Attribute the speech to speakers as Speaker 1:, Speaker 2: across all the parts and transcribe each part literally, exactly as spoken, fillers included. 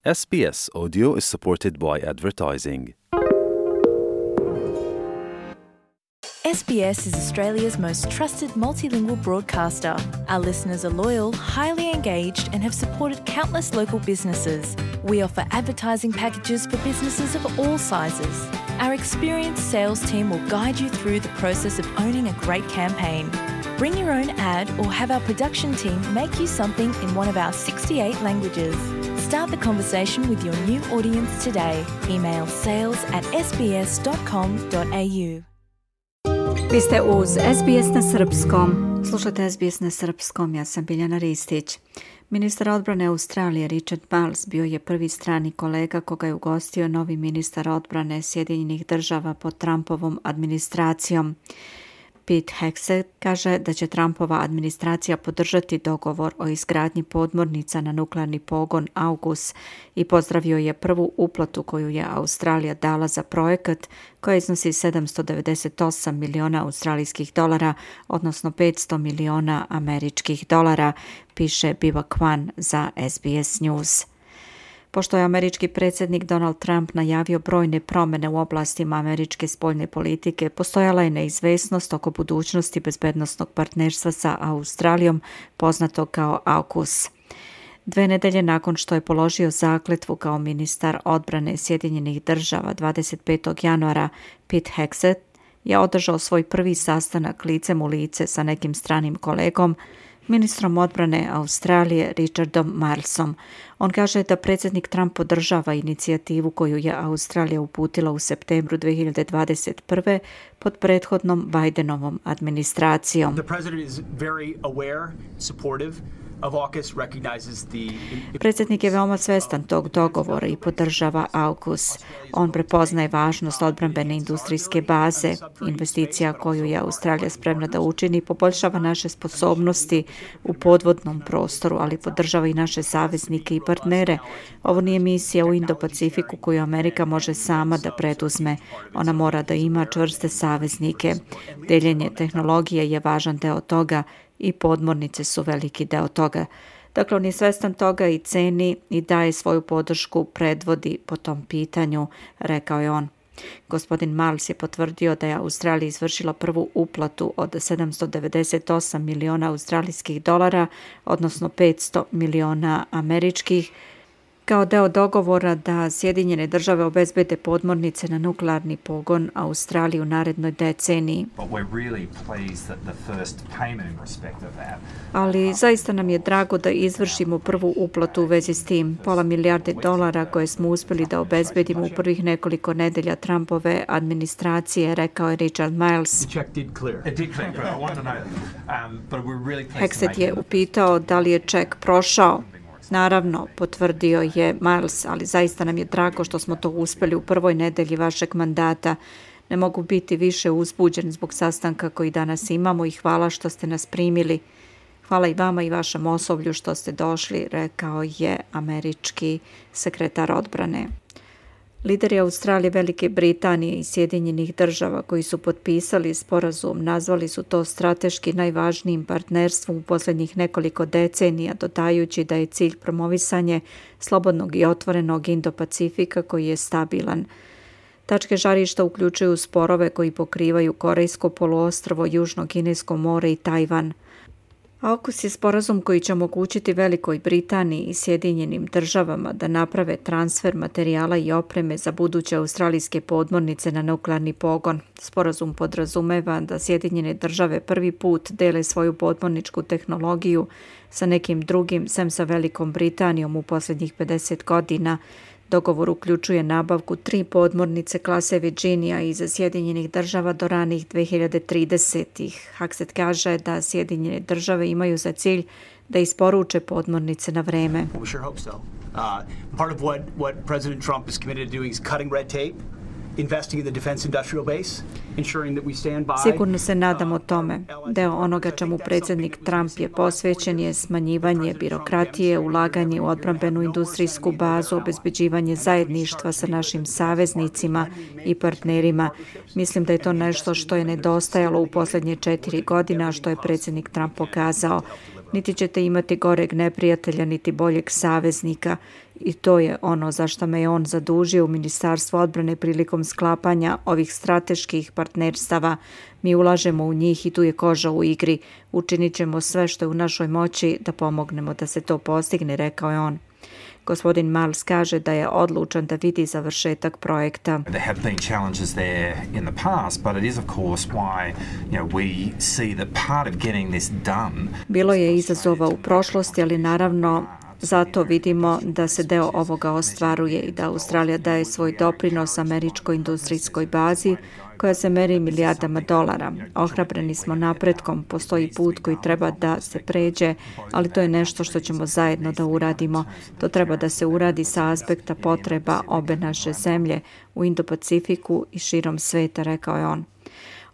Speaker 1: S B S Audio is supported by advertising.
Speaker 2: S B S is Australia's most trusted multilingual broadcaster. Our listeners are loyal, highly engaged, and have supported countless local businesses. We offer advertising packages for businesses of all sizes. Our experienced sales team will guide you through the process of owning a great campaign. Bring your own ad or have our production team make you something in one of our sixty-eight languages. Start the conversation with your new audience today. Email sales at s b s dot com dot a u.
Speaker 3: Vi ste uz S B S na srpskom. Slušate S B S na srpskom, ja sam Biljana Ristić. Ministar odbrane Australije Richard Marles bio je prvi strani kolega koga je ugostio novi ministar odbrane Sjedinjenih država pod Trumpovom administracijom. Pete Hegseth kaže da će Trumpova administracija podržati dogovor o izgradnji podmornica na nuklearni pogon AUKUS i pozdravio je prvu uplatu koju je Australija dala za projekat koja iznosi sedamsto devedeset osam miliona australijskih dolara, odnosno petsto miliona američkih dolara, piše Biva Kwan za S B S News. Pošto je američki predsjednik Donald Trump najavio brojne promjene u oblastima američke spoljne politike, postojala je neizvesnost oko budućnosti bezbednosnog partnerstva sa Australijom, poznato kao AUKUS. Dve nedelje nakon što je položio zakletvu kao ministar odbrane Sjedinjenih država dvadeset petog januara, Pete Hegseth je održao svoj prvi sastanak licem u lice sa nekim stranim kolegom, ministrom odbrane Australije Richardom Marlesom. On kaže da predsjednik Trump podržava inicijativu koju je Australija uputila u septembru dvije hiljade dvadeset prve pod prethodnom Bidenovom administracijom.
Speaker 4: The president is very aware, supportive of AUKUS, recognizes the...
Speaker 3: Predsjednik je veoma svestan tog dogovora i podržava AUKUS. On prepoznaje važnost odbrambene industrijske baze. Investicija koju je Australija spremna da učini poboljšava naše sposobnosti u podvodnom prostoru, ali podržava i naše saveznike i partnere. Ovo nije misija u Indo-Pacifiku koju Amerika može sama da preduzme. Ona mora da ima čvrste saveznike. Deljenje tehnologije je važan deo toga i podmornice su veliki deo toga. Dakle, on je svestan toga i ceni i daje svoju podršku, predvodi po tom pitanju, rekao je on. Gospodin Marles je potvrdio da je Australija izvršila prvu uplatu od sedamsto devedeset osam miliona australijskih dolara, odnosno petsto miliona američkih, kao deo dogovora da Sjedinjene države obezbede podmornice na nuklearni pogon Australiji u narednoj deceniji. Ali zaista nam je drago da izvršimo prvu uplatu u vezi s tim. Pola milijarde dolara koje smo uspjeli da obezbedimo u prvih nekoliko nedelja Trumpove administracije, rekao je Richard Marles. Hegseth je upitao da li je ček prošao. Naravno, potvrdio je Marles, ali zaista nam je drago što smo to uspjeli u prvoj nedelji vašeg mandata. Ne mogu biti više uzbuđen zbog sastanka koji danas imamo i hvala što ste nas primili. Hvala i vama i vašem osoblju što ste došli, rekao je američki sekretar odbrane. Lideri Australije, Velike Britanije i Sjedinjenih država koji su potpisali sporazum nazvali su to strateški najvažnijim partnerstvom u posljednjih nekoliko decenija, dodajući da je cilj promovisanje slobodnog i otvorenog Indo-Pacifika koji je stabilan. Tačke žarišta uključuju sporove koji pokrivaju Korejsko poluostrvo, Južno Kinesko more i Tajvan. AUKUS je sporazum koji će omogućiti Velikoj Britaniji i Sjedinjenim državama da naprave transfer materijala i opreme za buduće australijske podmornice na nuklearni pogon. Sporazum podrazumeva da Sjedinjene države prvi put dele svoju podmorničku tehnologiju sa nekim drugim, sem sa Velikom Britanijom u posljednjih pedeset godina. Dogovor uključuje nabavku tri podmornice klase Virginia iz Sjedinjenih država do ranih dvije hiljade tridesetih. Hegseth kaže da Sjedinjene države imaju za cilj da isporuče podmornice na vreme.
Speaker 4: We sure hope so. Uh, part of what, what President Trump is committed to doing is cutting red tape, investing in the defense industrial base, ensuring that we stand by.
Speaker 3: Sigurno se nadamo tome. Deo onoga čemu predsjednik Trump je posvećen je smanjivanje birokratije, ulaganje u odbrambenu industrijsku bazu, obezbeđivanje zajedništva sa našim saveznicima i partnerima. Mislim da je to nešto što je nedostajalo u posljednje četiri godina, što je predsjednik Trump pokazao. Niti ćete imati goreg neprijatelja, niti boljeg saveznika. i to je ono za što me je on zadužio u Ministarstvo odbrane prilikom sklapanja ovih strateških partnerstava. Mi ulažemo u njih i tu je koža u igri. Učinit ćemo sve što je u našoj moći da pomognemo da se to postigne, rekao je on. Gospodin Miles kaže da je odlučan da vidi završetak projekta.
Speaker 5: There have been challenges there in the past, but it is of course why, you know, we see that part of getting this done.
Speaker 3: Bilo je izazova u prošlosti, ali naravno zato vidimo da se deo ovoga ostvaruje i da Australija daje svoj doprinos američkoj industrijskoj bazi koja se meri milijardama dolara. Ohrabreni smo napretkom, postoji put koji treba da se pređe, ali to je nešto što ćemo zajedno da uradimo. To treba da se uradi sa aspekta potreba obe naše zemlje u Indo-Pacifiku i širom sveta, rekao je on.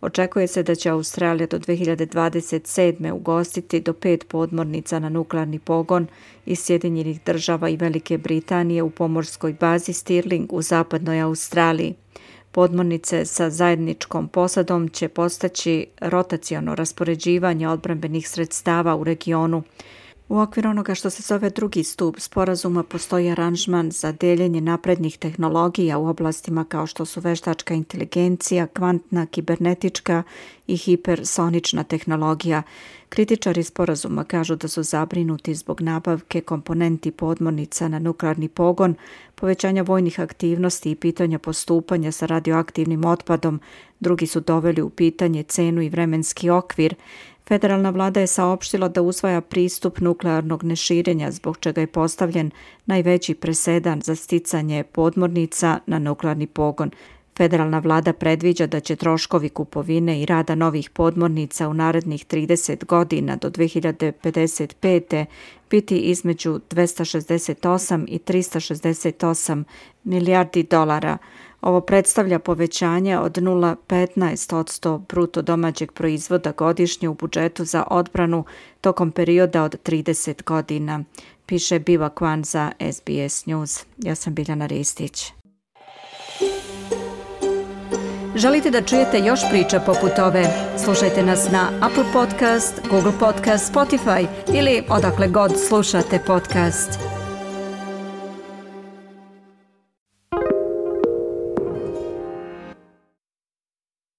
Speaker 3: Očekuje se da će Australija do dve hiljade dvadeset sedme ugostiti do pet podmornica na nuklearni pogon iz Sjedinjenih država i Velike Britanije u pomorskoj bazi Stirling u zapadnoj Australiji. Podmornice sa zajedničkom posadom će postaći rotaciono raspoređivanje odbrambenih sredstava u regionu. U okviru onoga što se zove drugi stup sporazuma postoji aranžman za deljenje naprednih tehnologija u oblastima kao što su veštačka inteligencija, kvantna, kibernetička i hipersonična tehnologija. Kritičari sporazuma kažu da su zabrinuti zbog nabavke komponenti podmornica na nuklearni pogon, povećanja vojnih aktivnosti i pitanja postupanja sa radioaktivnim otpadom. Drugi su doveli u pitanje cenu i vremenski okvir. Federalna vlada je saopštila da usvaja pristup nuklearnog neširenja, zbog čega je postavljen najveći presedan za sticanje podmornica na nuklearni pogon. Federalna vlada predviđa da će troškovi kupovine i rada novih podmornica u narednih trideset godina do dve hiljade pedeset pete biti između dvesta šezdeset osam i trista šezdeset osam milijardi dolara. Ovo predstavlja povećanje od nula zarez petnaest posto bruto domaćeg proizvoda godišnje u budžetu za odbranu tokom perioda od trideset godina, piše Biva Kwan za S B S News. Ja sam Biljana Ristić. Želite da čujete još priča poput ove? Slušajte nas na Apple Podcast, Google Podcast, Spotify ili odakle god slušate podcast.